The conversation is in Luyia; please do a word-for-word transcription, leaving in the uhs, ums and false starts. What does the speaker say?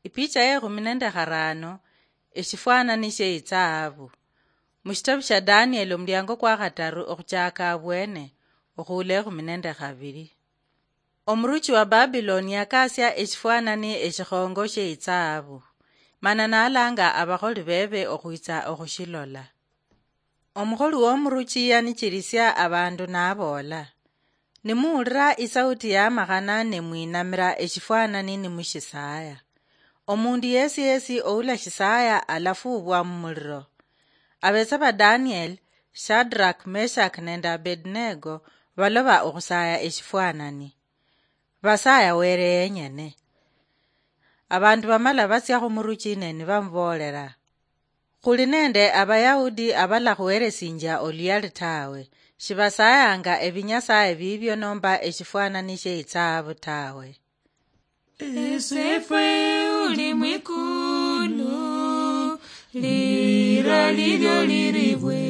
Ipicha ye ekhumi nende kharano, eshifwanani she itsahabu. Mushitabu sha Danieli, omuliango kwa khataru okhuchaka abwene, okhuula ekhumi nende khabiri. Omuruchi wa Babiloni yakasia eshifwanani eshikhongo she itsahabu, mana nalanga abakholi bebe okhwitsa okhushilola. Omukholi womuruchi yanichirisia abandu naboola, "Nimuwulira isauti yamakhana, nimwinamira eshifwanani nimushisaaya. Omundu yesi yesi oulashisaaya alafuubwa mumuliro." Abetsa ba Daniel, Shadrach, Meshach nende Abednego baloba okhusaaya eshifwanani. Basaaya Were yenyene. Abandu bamala batsia khumuruchi ne nibamuboolera, "Khuli nende Abayahudi abalakhuheresinjia oluyali tawe, shibasaayanga ebinyasaye bibio nomba eshifwanani she itsahabu tawe." Esefwe uli mwikulu, lira lilyo liribwe.